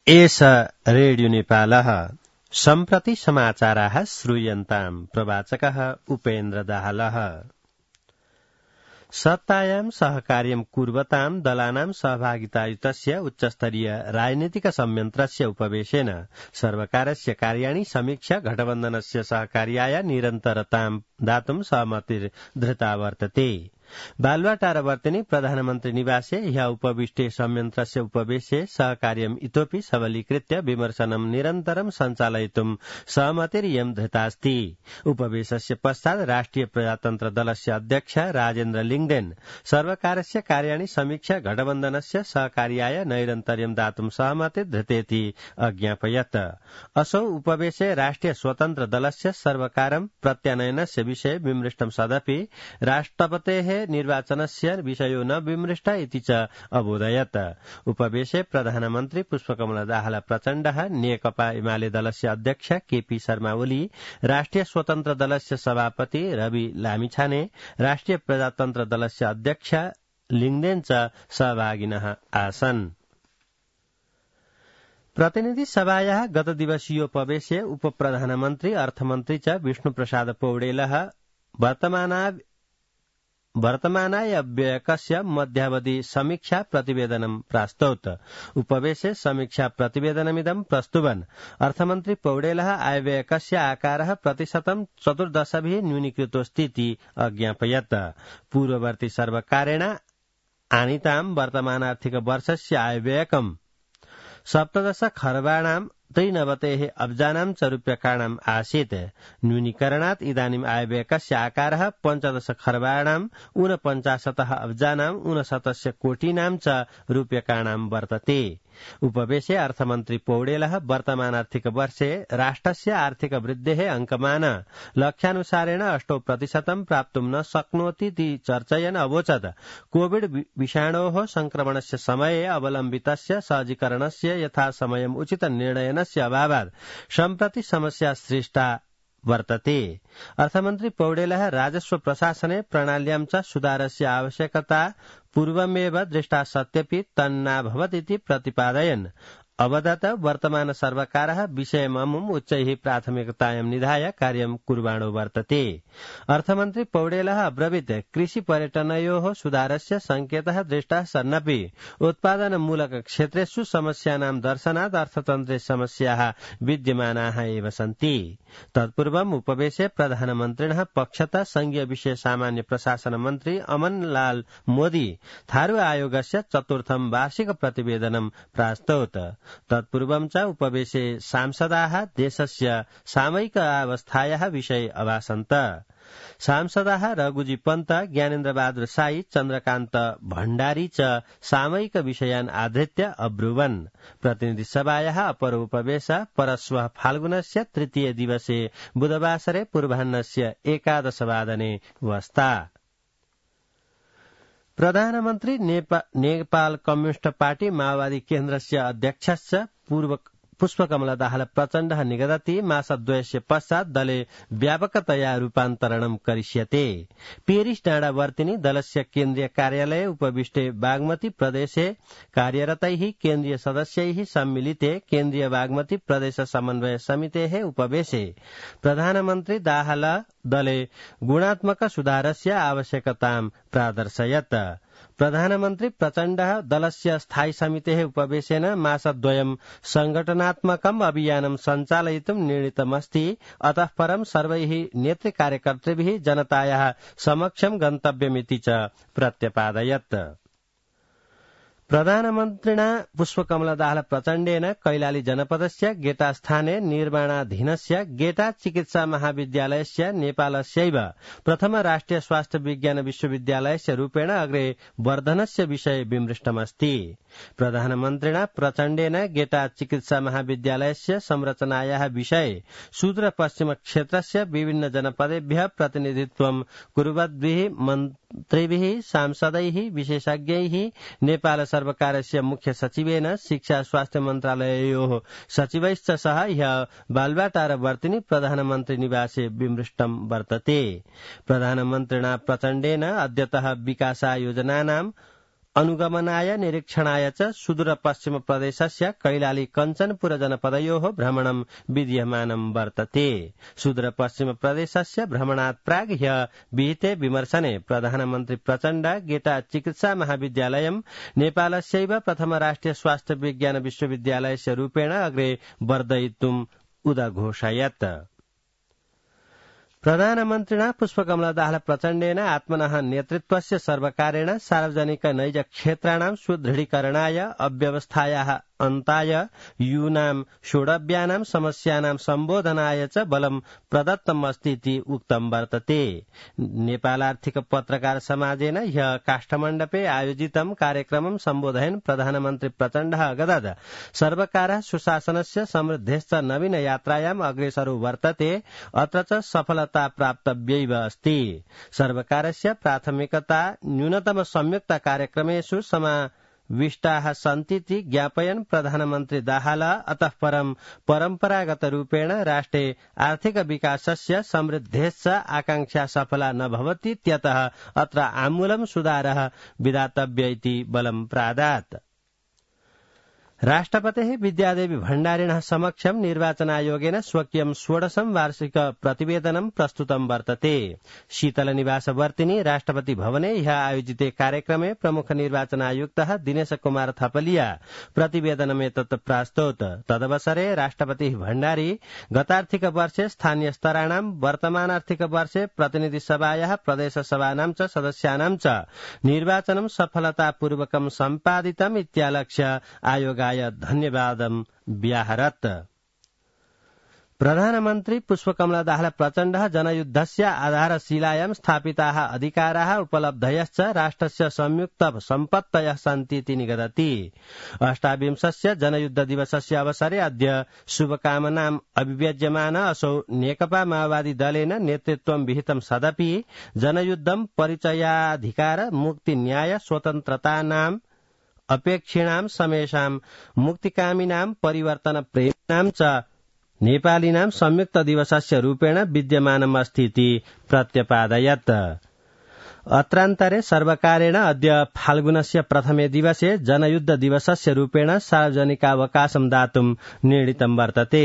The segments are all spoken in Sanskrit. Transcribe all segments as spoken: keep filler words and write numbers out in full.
एष रेडियो नेपालः सम्प्रति समाचाराः श्रूयन्ताम् प्रवाचकः उपेन्द्र दाहालः। सत्तायां सहकार्यं कुर्वतां दलानां सहभागितायुतस्य उच्चस्तरीय राजनीतिक संयन्त्रस्य उपवेशेन सर्वकारस्य कार्याणि समीक्षा घटबन्धनस्य सहकार्याय निरन्तरतां दातुं सहमतिर्धृता वर्तते। बालुवाटारवर्तिनि प्रधानमन्त्री निवासे ह्य उपविष्टे संयन्त्रस्य उपवेशे सहकार्यम् इतोपि सबलीकृत्य विमर्शनं निरन्तरं सञ्चालयितुं सहमतिरियं धृतास्ति। उपवेशस्य पश्चात् राष्ट्रिय प्रजातन्त्र दलस्य अध्यक्ष राजेन्द्र लिङ्गदेन सर्वकारस्य कार्याणि समीक्षा घटबन्धनस्य सहकार्याय नैरन्तर्यं दातुं सहमतिर्धृतेति अज्ञापयत्। असौ उपवेशे राष्ट्रिय स्वतन्त्र दलस्य सर्वकारं प्रत्यानयनस्य विषये विमृष्टं सदपि राष्ट्रपतेः निर्वाचनस्य विषयो न विमृष्ट इति च अबोधयत्। उपवेशे प्रधानमन्त्री पुष्पकमल दाहाल प्रचण्डः, नेकपा एमाले दलस्य अध्यक्ष केपी शर्मा ओली, राष्ट्रिय स्वतन्त्र दलस्य सभापति रवि लामिछाने, राष्ट्रिय प्रजातन्त्र दलस्य अध्यक्ष लिङ्गदेन च सहभागिनः आसन्। प्रतिनिधि सभायाः गत दिवसीयोपवेशे उपप्रधानमन्त्री अर्थमन्त्री च विष्णुप्रसाद पौडेलः वर्तमाना वर्तमानाय व्ययकस्य मध्यावधि समीक्षा प्रतिवेदनं प्रास्तौत। उपवेशे समीक्षा प्रतिवेदनमिदं प्रस्तुवन् अर्थमन्त्री पौडेलः आयव्ययकस्य आकारः प्रतिशतं चतुर्दशभिः न्यूनीकृतोऽस्तीति अज्ञापयत्। पूर्ववर्ती सर्वकारेण आनीतां वर्तमानार्थिक वर्षस्य आयव्ययकं सप्तदश खर्बाणां त्रिनवतेः अब्जानां च रूप्यकाणाम् आसीत्। न्यूनीकरणात् इदानीम् आयव्ययकस्य आकारः पञ्चदश खर्बाणां ऊनपञ्चाशतः अब्जानाम् ऊनशतस्य कोटीनां च रूप्यकाणां वर्तते। उपवेशे अर्थमन्त्री पौडेलः वर्तमानार्थिक वर्षे राष्ट्रस्य आर्थिक वृद्धेः अंकमान लक्ष्यानुसारेण अष्टौ प्रतिशतं प्राप्तुं न शक्नोतीति चर्चयन् अवोचत् कोविड विषाणोः संक्रमणस्य समये अवलम्बितस्य सहजीकरणस्य यथासमयम् उचित निर्णयनस्य अभावात् सम्प्रति समस्या सृष्टा वर्तते। अर्थमन्त्री पौडेलः राजस्व प्रशासने प्रणाल्यां च सुधारस्य आवश्यकता पूर्वमेव दृष्टा सत्यपि तन्नाभवदिति प्रतिपादयन् अवदत् वर्तमान सर्वकारः विषयममुम् उच्चैः प्राथमिकतायां निधाय कार्यं कुर्वाणो वर्तते। अर्थमन्त्री पौडेलः अब्रवीत् कृषि पर्यटनयोः सुधारस्य संकेतः दृष्टः सन्नपि उत्पादनमूलक क्षेत्रेषु समस्यानां दर्शनात् अर्थतन्त्रे समस्याः विद्यमानाः एव सन्ति। तत्पूर्वम् उपवेशे प्रधानमन्त्रिणः पक्षतः संघीय विषय सामान्य प्रशासन मन्त्री अमन लाल मोदी थारू आयोगस्य चतुर्थं वार्षिक प्रतिवेदनं प्रास्तौत। तत्पूर्वं च उपवेशे सांसदाः देशस्य सामयिक अवस्थायाः विषये अभाषन्त। सांसदाः रघुजी पन्त, ज्ञानेन्द्र बहादुर साई, चन्द्रकान्त भण्डारी च सामयिक विषयान् आधृत्य अब्रुवन्। प्रतिनिधि सभायाः अपर उपवेश परश्वः फाल्गुनस्य तृतीय दिवसे बुधवासरे पूर्वाह्नस्य एकादशवादने वस्ता। प्रधानमन्त्री नेपा, नेपाल कम्युनिस्ट पार्टी माओवादी केन्द्रस्य अध्यक्षश्च पूर्व पुष्पकमल दाहाल प्रचण्डः निगदति मासद्वयस्य पश्चात् दले व्यापकतया रूपान्तरणं करिष्यते। पेरिस डाँडावर्तिनि दलस्य केन्द्रीय कार्यालये उपविष्टे बागमती प्रदेशे कार्यरतैः केन्द्रीय सदस्यैः सम्मिलिते केन्द्रीय बागमती प्रदेश समन्वय समितेः उपवेशे प्रधानमन्त्री दाहाल दले गुणात्मक सुधारस्य आवश्यकतां प्रादर्शयत्। प्रधानमन्त्री प्रचण्डः दलस्य स्थायी समितेः उपवेशेन मासद्वयं संघटनात्मकम् अभियानं सञ्चालयितुं निर्णीतमस्ति। अतः परं सर्वैः नेतृ कार्यकर्तृभिः जनतायाः समक्षं गन्तव्यमिति च प्रत्यपादयत्। प्रधानमन्त्रिणा पुष्पकमल दाहाल प्रचण्डेन कैलाली जनपदस्य गेटा स्थाने निर्माणाधीनस्य गेटा चिकित्सा महाविद्यालयस्य नेपालस्यैव प्रथम राष्ट्रिय स्वास्थ्य विज्ञान विश्वविद्यालयस्य रूपेण अग्रे वर्धनस्य विषये विमृष्टमस्ति। प्रधानमन्त्रिणा प्रचण्डेन गेटा चिकित्सा महाविद्यालयस्य संरचनायाः विषये सुदूर पश्चिम क्षेत्रस्य विभिन्न जनपदेभ्यः प्रतिनिधित्वं कुर्वद्भिः मन्त्रिभिः, सांसदैः, विशेषज्ञैः, नेपाल सर्वकारस्य मुख्य सचिवेन शिक्षा स्वास्थ्य मन्त्रालययोः सचिवैश्च सह ह्यः बालुवाटारवर्तिनि प्रधानमन्त्री निवासे विमृष्टं वर्तते। प्रधानमन्त्रिणा प्रचण्डेन अद्यतः विकास योजनानां अनुगमनाय निरीक्षणाय च सुदूर पश्चिम प्रदेशस्य कैलाली कञ्चनपुर जनपदयोः भ्रमणं विद्यमानं वर्तते। सुदूर पश्चिम प्रदेशस्य भ्रमणात् प्राग् ह्यः विहिते विमर्शने प्रधानमन्त्री प्रचण्ड गेटा चिकित्सा महाविद्यालयं नेपालस्यैव प्रथम राष्ट्रिय स्वास्थ्य विज्ञान विश्वविद्यालयस्य रूपेण अग्रे वर्धयितुम् उदघोषयत्। प्रधानमन्त्रिणा पुष्पकमल दाहाल प्रचण्डेन आत्मनः नेतृत्वस्य सर्वकारेण सार्वजनिक नैज क्षेत्राणां सुदृढीकरणाय अव्यवस्थायाः अन्ताय यूनां शोडव्यानां समस्यानां सम्बोधनाय च बलं प्रदत्तमस्ति इति उक्तं वर्तते। नेपाल आर्थिक पत्रकार समाजेन ह्यः काष्ठमण्डपे आयोजितं कार्यक्रमं सम्बोधयन् प्रधानमन्त्री प्रचण्डः अगदत् सर्वकारः सुशासनस्य समृद्धेश्च नवीन यात्रायाम् अग्रेसरो वर्तते, अत्र च सफलता प्राप्तव्यैव अस्ति। सर्वकारस्य प्राथमिकता न्यूनतम संयुक्त कार्यक्रमेषु समा विष्टाः सन्तीति ज्ञापयन् प्रधानमन्त्री दाहाल अतः परं परम्परागत रूपेण राष्ट्रे आर्थिक विकासस्य समृद्धेश्च आकांक्षा सफला न भवतीत्यतः अत्र आमूलं सुधारः विधातव्य इति बलं प्रादात्। राष्ट्रपतेः विद्यादेवी भण्डारिणः समक्षं निर्वाचनायोगेन स्वकीयं षोडशं वार्षिक प्रतिवेदनं प्रस्तुतं वर्तते। शीतल निवासवर्तिनी राष्ट्रपति भवने ह्यः आयोजिते कार्यक्रमे प्रमुख निर्वाचनायुक्तः दिनेश कुमार थपलिया प्रतिवेदनमेतत् प्रास्तोत्। तदवसरे राष्ट्रपतिः भण्डारी गतार्थिक वर्षे स्थानीय स्तराणां वर्तमानार्थिक वर्षे प्रतिनिधि सभायाः प्रदेश सभानां च सदस्यानां च निर्वाचनं सफलतापूर्वकं सम्पादितम् इत्यालक्ष्य आयोग धन्यवादं व्याहरत्। प्रधानमन्त्री पुष्पकमल दाहाल प्रचण्डः जनयुद्धस्य आधारशिलायां स्थापिताः अधिकाराः उपलब्धयश्च राष्ट्रस्य संयुक्त सम्पत्तयः सन्तीति निगदति। अष्टाविंशस्य जनयुद्ध दिवसस्य अवसरे अद्य शुभकामनाम् अभिव्यज्यमान असौ नेकपा माओवादी दलेन नेतृत्वं विहितं सदपि जनयुद्धं परिचयाधिकार मुक्ति न्याय स्वतन्त्रतानाम् अपेक्षिणां समेषां मुक्तिकामिनां परिवर्तन प्रेमिणां च नेपालिनां संयुक्त दिवसस्य रूपेण विद्यमानमस्तीति प्रत्यपादयत्। अत्रान्तरे सर्वकारेण अद्य फाल्गुनस्य प्रथमे दिवसे जनयुद्ध दिवसस्य रूपेण सार्वजनिकावकाशं दातुं निर्णीतं वर्तते।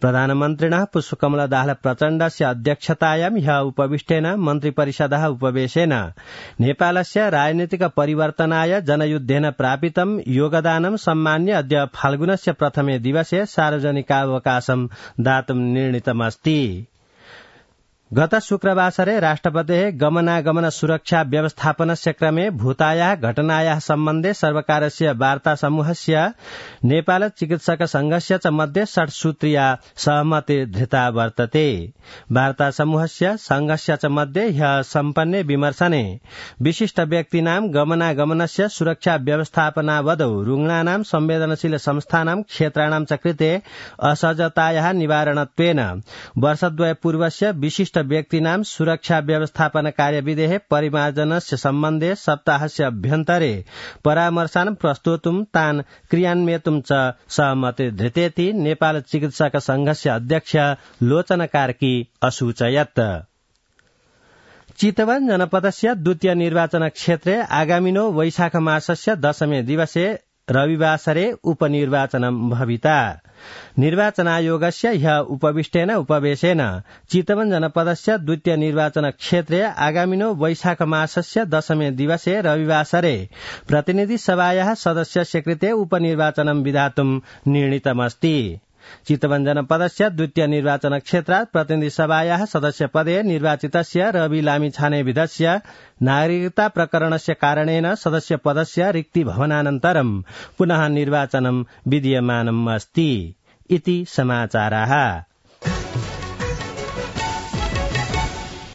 प्रधानमन्त्रिणः पुष्पकमल दाहाल प्रचण्डस्य अध्यक्षतायां ह्यः उपविष्टेन मन्त्रिपरिषदः उपवेशेन नेपालस्य राजनीतिक परिवर्तनाय जनयुद्धेन प्रापितं योगदानं सम्मान्य अद्य फाल्गुनस्य प्रथमे दिवसे सार्वजनिकावकाशं दातुं निर्णीतमस्ति। गत शुक्रवासरे राष्ट्रपतेः गमनागमन सुरक्षा व्यवस्थापनस्य क्रमे भूतायाः घटनायाः सम्बन्धे सर्वकारस्य वार्ता समूहस्य नेपाल चिकित्सक संघस्य च मध्ये षट्सूत्रीया सहमति धृता वर्तते। वार्ता समूहस्य संघस्य च मध्ये ह्यः सम्पन्ने विमर्शने विशिष्ट व्यक्तीनां गमनागमनस्य सुरक्षा व्यवस्थापनावधौ रुग्णानां संवेदनशील संस्थानां क्षेत्राणां च कृते असहजतायाः निवारणत्वेन वर्षद्वय पूर्वस्य विशिष्ट व्यक्तीनां सुरक्षा व्यवस्थापन कार्यविधेः परिमार्जनस्य सम्बन्धे सप्ताहस्य अभ्यन्तरे परामर्शान् प्रस्तोतुं तान् क्रियान्वयितुं च सहमति धृतेति नेपाल चिकित्सक संघस्य अध्यक्ष लोचन कार्की असूचयत्। चितवन जनपदस्य द्वितीय निर्वाचन क्षेत्रे आगामिनो वैशाख मासस्य दशमे दिवसे रविवासरे उपनिर्वाचनं भविता। निर्वाचनायोगस्य ह्यः उपविष्टेन उपवेशेन चितवन जनपदस्य द्वितीय निर्वाचन क्षेत्रे आगामिनो वैशाख मासस्य दशमे दिवसे रविवासरे प्रतिनिधि सभायाः सदस्यस्य कृते उपनिर्वाचनं विधातुं निर्णीतमस्ति। चितवन जनपदस्य द्वितीय निर्वाचन क्षेत्रात् प्रतिनिधि सभायाः सदस्यपदे निर्वाचितस्य रवि लामिछानेविधस्य नागरिकता प्रकरणस्य कारणेन सदस्यपदस्य रिक्ति भवनानन्तरं पुनः निर्वाचनं विधीयमानम् अस्ति इति समाचाराः।